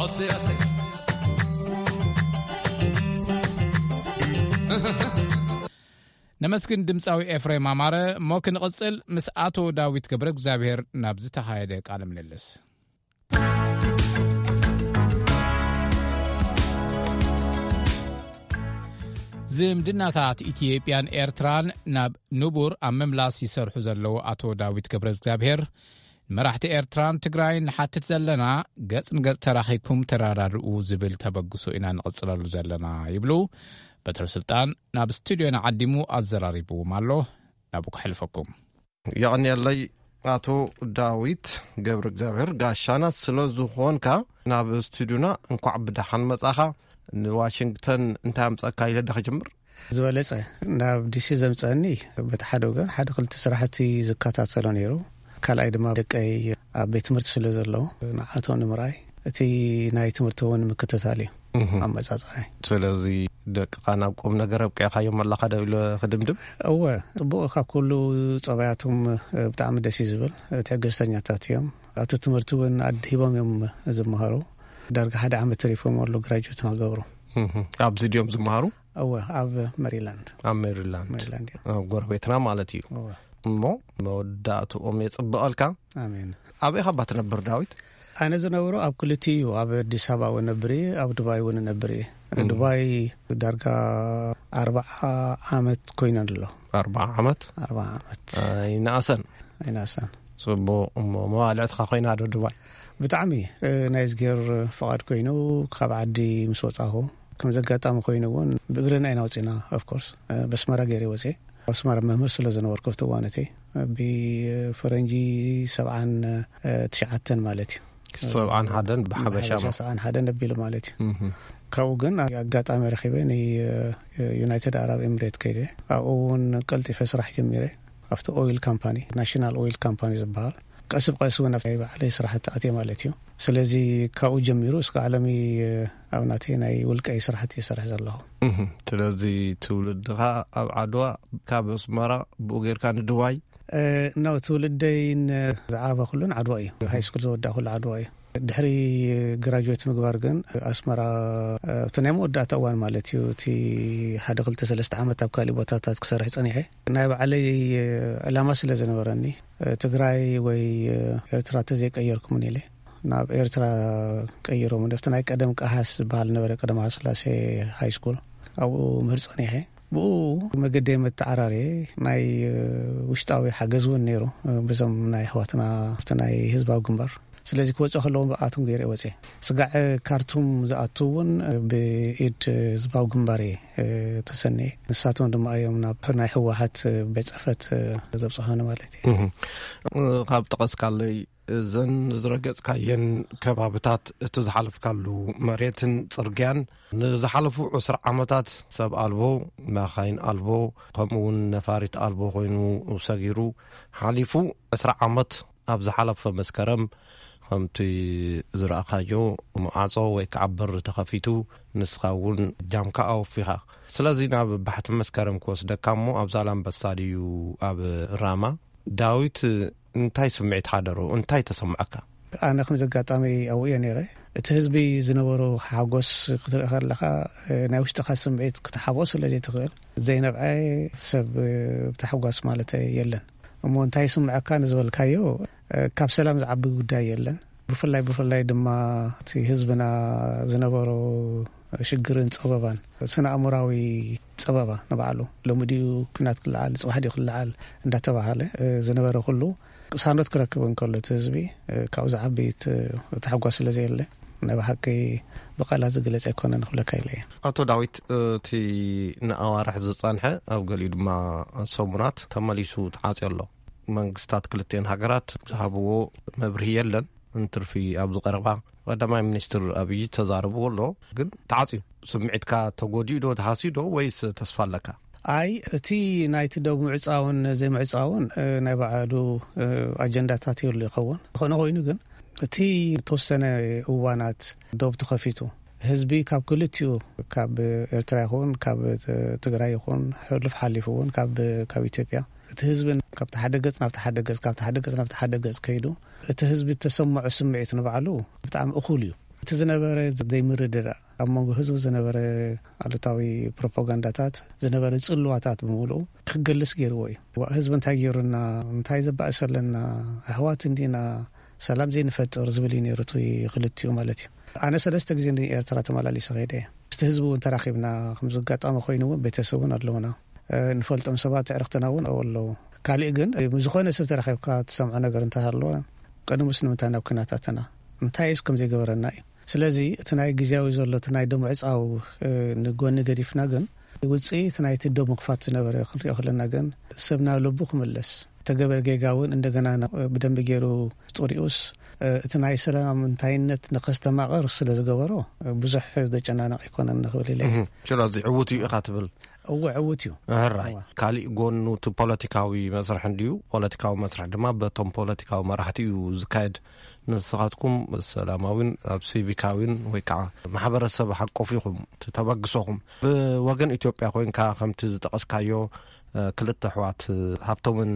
ኣሰ ኣሰ ነመስግን ድምፃዊ ኤፍሬም ኣማረ። እሞ ክንቕፅል፣ ምስ ኣቶ ዳዊት ገብረ እግዚኣብሔር ናብ ዝተኻየደ ቃለ ምልልስ። ዝምድናታት ኢትዮጵያን ኤርትራን ናብ ንቡር ኣብ ምምላስ ይሰርሑ ዘለዉ ኣቶ ዳዊት ገብረ እግዚኣብሔር፣ ንመራሕቲ ኤርትራን ትግራይን ንሓትት ዘለና፣ ገጽ ንገጽ ተራኺብኩም ተረዳድኡ ዝብል ተበግሶ ኢና ንቕጽለሉ ዘለና ይብሉ። በትረ ስልጣን ናብ ስቱድዮና ዓዲሙ ኣዘራሪብዎም ኣሎ። ናብኡ ከሕልፈኩም። የቐንየለይ ኣቶ ዳዊት ገብረ እግዚኣብሔር፣ ጋሻና ስለ ዝኾንካ። ናብ ስቱድዮና እንኳዕ ብደሓን መጻኻ። ንዋሽንግተን እንታይ ኣምጻእካ ኢለ ዳ ክጅምር? ዝበለጸ ናብ ዲሲ ዘምጸኒ፣ በቲ ሓደ ወገን ሓደ ክልተ ስራሕቲ ዝከታተሎ ነይሩ። ካልኣይ ድማ ደቀይ ኣብ ቤት ትምህርቲ ስለ ዘለዉ፣ ንዓቶም ንምርኣይ እቲ ናይ ትምህርቲ እውን ምክትታል እዩ። ኣመጻጽኣይ። ስለዚ ደቅኻ ናብ ቁም ነገር ኣብቂዕካዮም ኣለኻ ዶ ኢለ ክድምድም? እወ፣ ጽቡቕ። ካብ ኩሉ ጸባያቶም ብጣዕሚ ደስ እዩ ዝብል። ትዕግስተኛታት እዮም። ኣብቲ ትምህርቲ እውን ኣድሂቦም እዮም ዝመሃሩ። ዳርጋ ሓደ ዓመት ተሪፎም ኣሎ ግራጁዌት ንክገብሩ። ኣብዚ ድዮም ዝመሃሩ? እወ፣ ኣብ ሜሪላንድ። ኣብ ሜሪላንድ። ሜሪላንድ እዮም። ኣብ ጎረቤትና ማለት እዩ። እወ። እሞ መወዳእትኦም የጽብቐልካ። ኣሜን። ኣበይ ኻባ ትነብር ዳዊት? ኣነ ዝነብሮ ኣብ ክልቲኡ እዩ። ኣብ ኣዲስ ኣበባ እውን ነብር እየ፣ ኣብ ዱባይ እውን ነብር እየ። ዱባይ ዳርጋ ኣርባዓ ዓመት ኮይነ ኣሎ። ኣርባዓ ዓመት? ኣርባዓ ዓመት። ኣይነኣሰን። ኣይነኣሰን። ጽቡቕ። እሞ መባልዕትኻ ኮይና ዶ ዱባይ? ብጣዕሚ፣ እ፣ ናይ እዝጌር ፍቓድ ኮይኑ ካብ ዓዲ ምስ ወጻኹ፣ ከም ዘጋጣሚ ኮይኑ እውን ብእግርና ኢና ወጺና። ኦፍ ኮርስ፣ እ፣ በስመራ ገይረ ወጺኤ። ኣስመራ መምህር ስለ ዝነበርኩ ኣብቲ እዋን እቲ፣ ብፈረንጂ ሰብዓን ትሽዓተን ማለት እዩ። ሰብዓን ሓደን ብሓበሻ ብሓበሻ ማለት። ሰብዓን ሓደን ኣቢሉ ማለት እዩ። እህ። ካብኡ ግን ኣጋጣሚ ረኺበ ንዩናይትድ ኣረብ ኤምሬት ከይደ። ኣብኡ እውን ቀልጢፈ ስራሕ ጀሚረ። ኣብቲ ኦይል ካምፓኒ፣ ናሽናል ኦይል ካምፓኒ ዝበሃል፣ ቀስ ብቀስ እውን ኣብ ናይ ባዕለይ ስራሕቲ ኣትየ ማለት እዩ። ስለዚ ካብኡ ጀሚሩ እስካዕ ሎሚ ኣብ ናተይ ናይ ውልቀይ ስራሕቲ ይሰርሕ ዘለኹ። እህ። ስለዚ ትውልድኻ ኣብ ዓድዋ፣ ካብ ኣስመራ ብኡ ጌርካ ንድዋይ? እ፣ ኖ፣ ትውልደይን ዝዓበኹሉን ዓድዋ እዩ። ሃይ ስኩል ዝወዳእኩሉ ዓድዋ እዩ። ድሕሪ ግራጁዌት ምግባር ግን ኣስመራ፣ እ፣ ኣብቲ ናይ መወዳእታ እዋን ማለት እዩ፣ እቲ ሓደ ክልተ ሰለስተ ዓመት ኣብ ካሊእ ቦታታት ክሰርሕ ጸኒሐ። ናይ ባዕለይ ዕላማ ስለ ዝነበረኒ፣ እ፣ ትግራይ ወይ፣ እ፣ ኤርትራ ተዘይቀየርኩምን ኢለ ናብ ኤርትራ ቀይሮም። ኣብቲ ናይ ቀደም ቀሃስ ዝበሃል ነበረ፣ ቀደም ሃስላሴ ሃይ ስኩል፣ ኣብኡ ምህር ጸኒሐ። ብኡ መገደይ መተዓራርየ ናይ፣ እ፣ ውሽጣዊ ሓገዝ እውን ነይሩ፣ እ፣ በዞም ናይ ኣሕዋትና ኣብቲ ናይ ህዝባዊ ግንባር። ስለዚ ክወጽእ ከለዎም ብኣቶም ገይረ ወጽኤ። ስጋዕ ካርቱም ዝኣቱ እውን ብኢድ ህዝባዊ ግንባር እየ፣ እ፣ ተሰንየ። ንሳቶም ድማ እዮም ናብ ናይ ህወሓት ቤት ጽሕፈት፣ እ፣ ዘብጽሑኒ ማለት እዩ። እህ። ካብ ጠቐስካለይ፣ እዘን ዝረገጽካየን ከባብታት፣ እቲ ዝሓለፍካሉ መሬትን ጽርግያን፣ ንዝሓለፉ ዕስራ ዓመታት ሰብ ኣልቦ፣ መኻይን ኣልቦ፣ ከምኡ እውን ነፋሪት ኣልቦ ኮይኑ ሰጊሩ ሓሊፉ። ዕስራ ዓመት ኣብ ዝሓለፈ መስከረም፣ ከምቲ ዝረኣኻዮ፣ ማዕጾ ወይ ከዓ በሪ ተኸፊቱ፣ ንስኻ እውን ጃምካ ኣወፊኻ። ስለዚ ናብ ባሕቲ መስከረም ክወስደካ እሞ፣ ኣብ ዛላምበሳ ድዩ ኣብ ራማ? ዳዊት፣ እንታይ ስምዒት ሓደሮ? እንታይ ተሰምዐካ? ኣነ ከም ዘጋጣሚ ኣብኡ እየ ነይረ። እቲ ህዝቢ ዝነበሮ ሓጎስ ክትርኢ ከለኻ፣ እ፣ ናይ ውሽጥኻ ስምዒት ክትሓፍኦ ስለ ዘይትኽእል፣ ዘይነብዐ ሰብ፣ እ፣ ብታሕጓስ ማለት የለን። እሞ እንታይ ይስምዐካ ንዝበልካዮ፣ እ፣ ካብ ሰላም ዝዓቢ ጉዳይ የለን። ብፍላይ፣ ብፍላይ ድማ እቲ ህዝብና ዝነበሮ ሽግርን ጸበባን፣ ስነ ኣእምራዊ ጸበባ ንባዕሉ፣ ሎሚ ድዩ ኲናት ክለዓል፣ ጽባሕ ድዩ ክለዓል እንዳተባሃለ፣ እ፣ ዝነበረ ኩሉ ቅሳኖት ክረክብ እንከሎ እቲ ህዝቢ፣ እ፣ ካብኡ ዝዓቢ ት-፣ ታሕጓስ ስለ ዘየለ፣ ናይ ብሓቂ ብቃላት ዝግለጽ ኣይኮነን ክብለካ ኢለ እየ። ኣቶ ዳዊት፣ እቲ ንኣዋርሕ ዝጸንሐ፣ ኣብ ገሊኡ ድማ ሰሙናት ተመሊሱ ተዓጽዮ ኣሎ። መንግስታት ክልቲአን ሃገራት ዝሃብዎ መብርሂ የለን። እንትርፊ ኣብዚ ቀረባ ቀዳማይ ሚኒስትር ኣብይ ተዛረብዎ ኣሎ። ግን ተዓጽዩ፣ ስምዒትካ ተጎዲኡ ዶ፣ ተሃስዩ ዶ፣ ወይስ ተስፋ ኣለካ? ኣይ፣ እቲ ናይቲ ዶብ ምዕጻውን ዘይምዕጻውን፣ እ፣ ናይ ባዕሉ፣ እ፣ ኣጀንዳታት ይህሉ ይኸውን። ዝኾነ ኮይኑ ግን፣ እቲ ተወሰነ እዋናት ዶብ ተኸፊቱ፣ ህዝቢ ካብ ክልቲኡ፣ ካብ ኤርትራ ይኹን፣ ካብ ት-፣ ትግራይ ይኹን፣ ሕሉፍ ሓሊፉ እውን ካብ፣ ካብ ኢትዮጵያ፣ እቲ ህዝቢ ካብቲ ሓደ ገጽ ናብቲ ሓደ ገጽ፣ ካብቲ ሓደ ገጽ ናብቲ ሓደ ገጽ ከይዱ፣ እቲ ህዝቢ እተሰምዖ ስምዒት ንባዕሉ ብጣዕሚ እኹል እዩ። እቲ ዝነበረ ዘይምርድዳእ፣ ኣብ መንጎ ህዝቢ ዝነበረ ኣሉታዊ ፕሮፓጋንዳታት፣ ዝነበረ ጽልዋታት ብምሉኡ ክገልጽ ገይርዎ እዩ። ዋ-፣ ህዝቢ እንታይ ገይሩና፣ እንታይ ዘባእሰለና፣ ኣሕዋት እንዲና፣ ሰላም ዘይንፈጥር ዝብል እዩ ነይሩ እቲ ክልቲኡ ማለት እዩ። ኣነ ሰለስተ ግዜ ንኤርትራ ተመላሊሰ ከይደ እየ። ምስቲ ህዝቢ እውን ተራኺብና፣ ከምዚ ኣጋጣሚ ኮይኑ እውን ቤተሰብ እውን ኣለውና። እ፣ ንፈልጦም ሰባት ኣዕርኽትና እውን ኣለዉ። ካሊእ ግን፣ እ፣ ምስ ዝኾነ ሰብ ተራኺብካ ትሰምዖ ነገር እንተሃለወ፣ ቅድሙስ ንምንታይ ናብ ኲናት ኣተና? እንታይስ ከም ዘይገበረና እዩ? ስለዚ እቲ ናይ ግዜያዊ ዘሎ፣ እቲ ናይ ደም ምዕጻው፣ እ፣ ንጎኒ ገዲፍና ግን፣ ውጽኢት ናይቲ ደም ምኽፋት ዝነበረ ክንሪኦ ከለና ግን፣ ሰብ ናብ ልቡ ክምለስ፣ ተገበረ ጌጋ እውን እንደገና ነ-፣ ብደንቢ ገይሩ ጥሪኡስ፣ እ፣ እቲ ናይ ሰላም እንታይነት ንኸስተማቕር ስለ ዝገበሮ፣ እ፣ ብዙሕ ዘጨናነቕ ኣይኮነን ንኽብል ኢለ። እህ፣ ስለዚ ዕዉት እዩ ኢኻ ትብል? እወ፣ ዕዉት እዩ። ሕራይ። እወ። ካሊእ ጎኑ እቲ ፖለቲካዊ መስርሕ እንድዩ። ፖለቲካዊ መስርሕ ድማ በቶም ፖለቲካዊ መራሕቲ እዩ ዝካየድ። ንስኻትኩም ሰላማዊን ኣብ ሲቪካዊን ወይ ከዓ ማሕበረሰብ ሓቆፍ ኢኹም እቲ ተበግሶኹም። ብወገን ኢትዮጵያ ኮይንካ ከምቲ ዝጠቐስካዮ፣ እ፣ ክልተ ኣሕዋት፣ እ፣ ሃብቶምን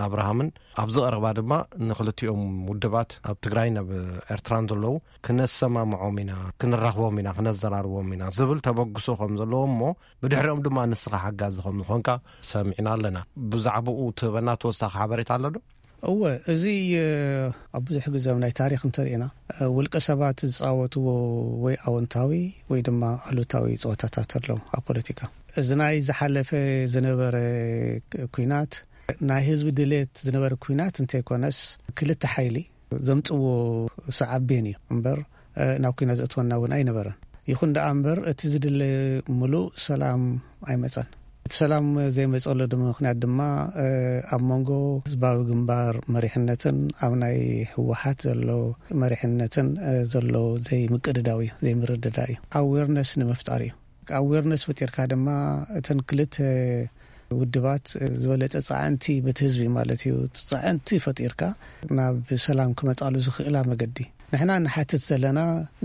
ኣብርሃምን ኣብዚ ቀረባ ድማ ንክልቲኦም ውድባት ኣብ ትግራይን ኣብ ኤርትራን ዘለዉ ክነሰማምዖም ኢና፣ ክንራኽቦም ኢና፣ ክነዘራርቦም ኢና ዝብል ተበግሶ ከም ዘለዎ እሞ ብድሕሪኦም ድማ ንስኻ ሓጋዚ ከም ዝኾንካ ሰሚዕና ኣለና። ብዛዕባኡ ትህበና ተወሳኺ ሓበሬታ ኣሎ ዶ? እወ፣ እዚ፣ እ፣ ኣብ ብዙሕ ግዜ ኣብ ናይ ታሪኽ እንተሪእና፣ እ፣ ውልቀ ሰባት ዝጻወትዎ ወይ ኣወንታዊ ወይ ድማ ኣሉታዊ ጸወታታት ኣሎ ኣብ ፖለቲካ። እዚ ናይ ዝሓለፈ ዝነበረ ክ-፣ ኲናት ናይ ህዝቢ ድሌት ዝነበረ ኲናት እንተይኮነስ፣ ክልተ ሓይሊ ዘምጽዎ ሰዓቤን እዩ እምበር፣ እ፣ ናብ ኲናት ዘእትወና እውን ኣይነበረን። ይኹን ደኣ እምበር፣ እቲ ዝድለ ምሉእ ሰላም ኣይመጸን። እቲ ሰላም ዘይመጸሉ ድ-፣ ምኽንያት ድማ፣ እ፣ ኣብ መንጎ ህዝባዊ ግንባር መሪሕነትን ኣብ ናይ ህወሓት ዘሎ መሪሕነትን፣ እ፣ ዘሎ ዘይምቅድዳው እዩ፣ ዘይምርድዳእ እዩ። ኣዌርነስ ንምፍጣር እዩ። ኣዌርነስ ፈጢርካ ድማ እተን ክልተ ውድባት ዝበለጸ ጻዕንቲ በቲ ህዝቢ ማለት እዩ፣ ጻዕንቲ ፈጢርካ ናብ ሰላም ክመጻሉ ዝኽእላ መገዲ። ንሕና ንሓትት ዘለና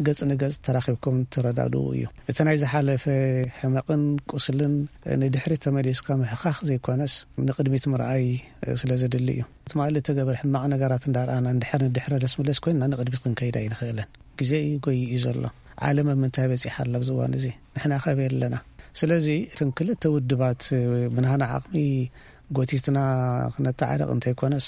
ገጽ ንገጽ ተራኺብኩም ተረዳድኡ እዩ። እቲ ናይ ዝሓለፈ ሕመቕን ቁስልን ንድሕሪት ተመሊስካ ምሕኻኽ ዘይኮነስ ንቕድሚት ምርኣይ ስለ ዘድሊ እዩ። ትማሊ እተገበረ ሕማቕ ነገራት እንዳረኣና እንድሕር ንድሕረ ደስ ምለስ ኮይንና ንቕድሚት ክንከይድ ኣይንኽእልን። ግዜ እዩ ጎይዩ ዘሎ። ዓለም ኣብ ምንታይ በጺሓ ኣላ ኣብዚ እዋን እዚ? ንሕና ከበይ ኣለና? ስለዚ እተን ክልተ ውድባት ብናህና ዓቕሚ ጎቲትና ክነተዓርቕ እንተይኮነስ፣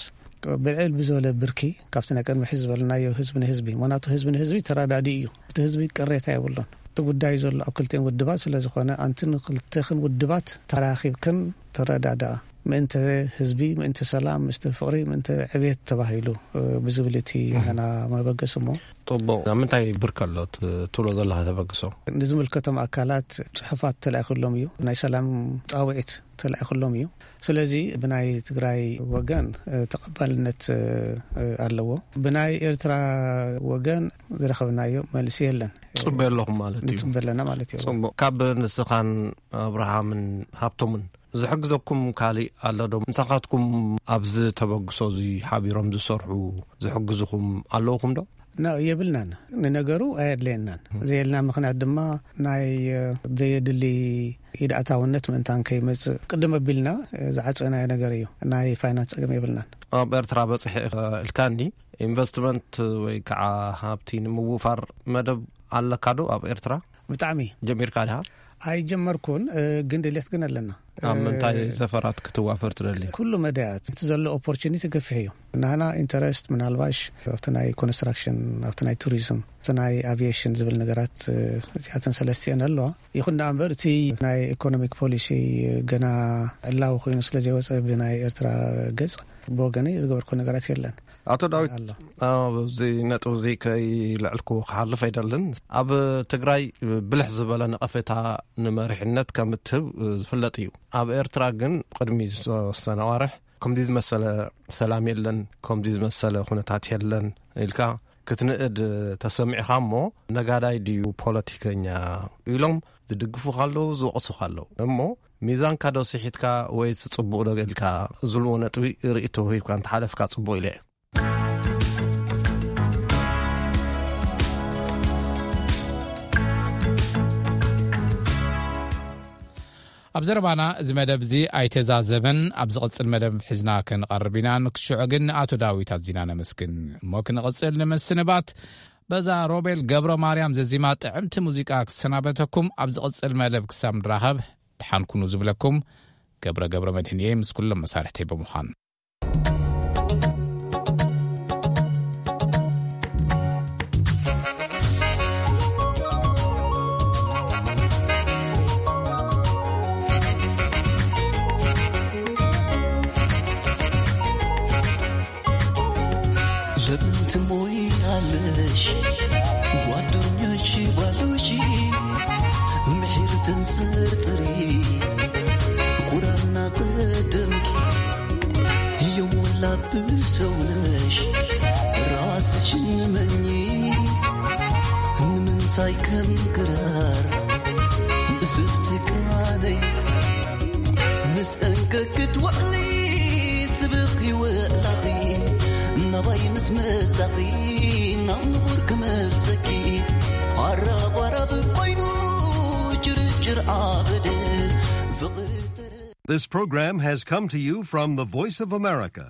ብልዕል ብዝበለ ብርኪ ካብቲ ናይ ቅድሚ ሕዚ ዝበልናዮ ህዝቢ ንህዝቢ፣ ምኽንያቱ ህዝቢ ንህዝቢ ተረዳዲ እዩ። እቲ ህዝቢ ቅሬታ የብሉን። እቲ ጉዳይ ዘሎ ኣብ ክልቲኦም ውድባት ስለ ዝኾነ፣ ኣንቲ ንክልተኽን ውድባት ተራኺብክን ተረዳድኣ። ምእንተ ህዝቢ፣ ምእንተ ሰላም፣ ምእንተ ፍቕሪ፣ ምእንተ ዕቤት ተባሂሉ፣ እ፣ ብዝብል እቲ ናና መበገሲ እሞ። ጽቡቕ። ናብ ምንታይ ብርክ ኣሎ ት-፣ ትብሎ ዘለኻ ተበግሶ? ንዝምልከቶም ኣካላት ጽሑፋት ተላኢኹሎም እዩ። ናይ ሰላም ጻውዒት ተላኢኹሎም እዩ። ስለዚ ብናይ ትግራይ ወገን፣ እ፣ ተቐባልነት፣ እ፣ እ፣ ኣለዎ። ብናይ ኤርትራ ወገን ዝረኸብናዮ መልሲ የለን። ጽበ ኣለኹም ማለት እዩ። ንጽበ ኣለና ማለት እዩ። ጽቡቕ። ካብ ንስኻን ኣብርሃምን ሃብቶምን ዝሕግዘኩም ካሊእ ኣሎ ዶ? ምሳኻትኩም ኣብዚ ተበግሶ እዚ ሓቢሮም ዝሰርሑ ዝሕግዝኹም ኣለውኹም ዶ? ና፣ የብልናን። ንነገሩ ኣየድለየናን። ዘየልና ምኽንያት ድማ ናይ፣ እ፣ ዘየድሊ ኢድ ኣታውነት ምእንታን ከይመጽእ ቅድም ኣቢልና፣ እ፣ ዝዓጸናዮ ነገር እዩ። ናይ ፋይናንስ ጸገም የብልናን። ኣብ ኤርትራ በጺሐ ኢልካኒ፣ ኢንቨስትመንት ወይ ከዓ ሃብቲ ንምውፋር መደብ ኣለካ ዶ ኣብ ኤርትራ? ብጣዕሚ። ጀሚርካ ዲኻ? ኣይጀመርኩን፣ እ፣ ግን ድሌት ግን ኣለና። ኣብ እ፣ ምንታይ ዘፈራት ክትዋፈር ትደሊ? ኩሉ መዳያት፣ እቲ ዘሎ ኦፖርቹኒቲ ገፊሕ እዩ። ናህና ኢንተረስት ምናልባሽ ኣብቲ ናይ ኮንስትራክሽን፣ ኣብቲ ናይ ቱሪዝም፣ ኣብቲ ናይ ኣቪዬሽን ዝብል ነገራት፣ እ፣ እዚኣተን ሰለስቲአን ኣለዋ። ይኹን ደኣ እምበር እቲ ናይ ኢኮኖሚክ ፖሊሲ ገና ዕላዊ ኮይኑ ስለ ዘይወጸ ብናይ ኤርትራ ገጽ ብወገነይ ዝገበርኩ ነገራት የለን። ኣቶ ዳዊት፣ ኣሎ። ኣብዚ ነጥቢ እዚ ከይልዕልኩ ክሓልፍ ኣይደልን። ኣብ ትግራይ ብልሕ ዝበለ ነቐፌታ ንመሪሕነት ከም እትህብ ዝፍለጥ እዩ። ኣብ ኤርትራ ግን ቅድሚ ዝተወሰነ ኣዋርሕ ከምዚ ዝመሰለ ሰላም የለን፣ ከምዚ ዝመሰለ ኩነታት የለን ኢልካ ክትንእድ ተሰሚዕኻ እሞ፣ ነጋዳይ ድዩ ፖለቲከኛ ኢሎም ዝድግፉኻ ኣለዉ፣ ዝወቕሱኻ ኣለዉ። እሞ ሚዛንካ ዶ ስሒትካ ወይስ ጽቡቕ ዶ ኢልካ ዝብልዎ ነጥቢ ርእይቶ ሂብካ እንተሓለፍካ ጽቡቕ ኢለ እየ። ኣብ ዘረባና እዚ መደብ እዚ ኣይተዛዘመን። ኣብ ዝቕጽል መደብ ሒዝና ክንቐርብ ኢና። ንክሽዑ ግን ንኣቶ ዳዊት ኣዚና ነመስግን። እሞ ክንቕጽል ንምስንባት በዛ ሮቤል ገብረ ማርያም ዘዚማ ጥዕምቲ ሙዚቃ ክሰናበተኩም። ኣብ ዝቕጽል መደብ ክሳብ ንራኸብ ደሓን ኩኑ ዝብለኩም ገብረ ገብረ መድህን እየ፣ ምስ ኩሎም መሳርሕተይ ብምዃን። ለምን ትሞያለሽ ጓደኞች ባሉሽ ምሒር ትንጽርጽሪ ቁራና ቅድምኪ የሞ ብሰውነሽ ራስሽን መኝ ንምንታይ ከም ክራር ብስብቲ ቃለይ ምስ እንከ ክትውዕሊ ስብኺ ውዕላኺ ናባይ ምስ መጻኺ ናብ ንቡር ክመልሰኪ ኣራባራብ ኮይኑ ጭርጭር ዓበደ ፍቕሪ ተረ- This program has come to you from the Voice of America,